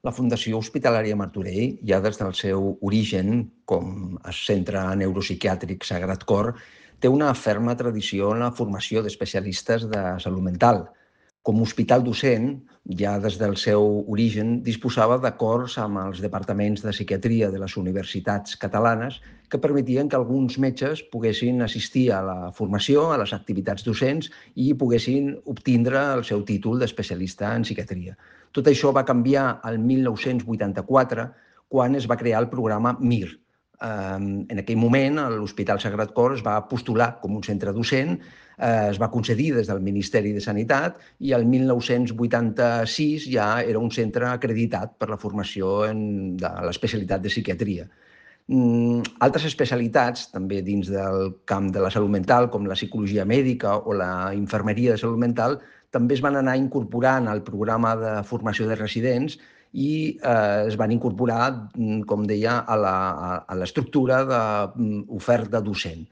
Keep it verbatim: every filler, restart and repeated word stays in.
La Fundació Hospitalària Martorell, ja des del seu origen com a centre neuropsiquiàtric Sagrat Cor, té una ferma tradició en la formació d'especialistes de salut mental. Com a hospital docent, ja des del seu origen, disposava d'acords amb els departaments de psiquiatria de les universitats catalanes que permetien que alguns metges poguessin assistir a la formació, a les activitats docents i poguessin obtindre el seu títol d'especialista en psiquiatria. Tot això va canviar el mil nou-cents vuitanta-quatre, quan es va crear el programa MIR. En aquell moment, l'Hospital Sagrat Cor es va postular com un centre docent, es va concedir des del Ministeri de Sanitat i el mil nou-cents vuitanta-sis ja era un centre acreditat per la formació en de l'especialitat de psiquiatria. Altres especialitats, també dins del camp de la salut mental, com la psicologia mèdica o la infermeria de salut mental, també es van anar incorporant al programa de formació de residents i eh, es van incorporar, com deia, a l'estructura d'oferta docent.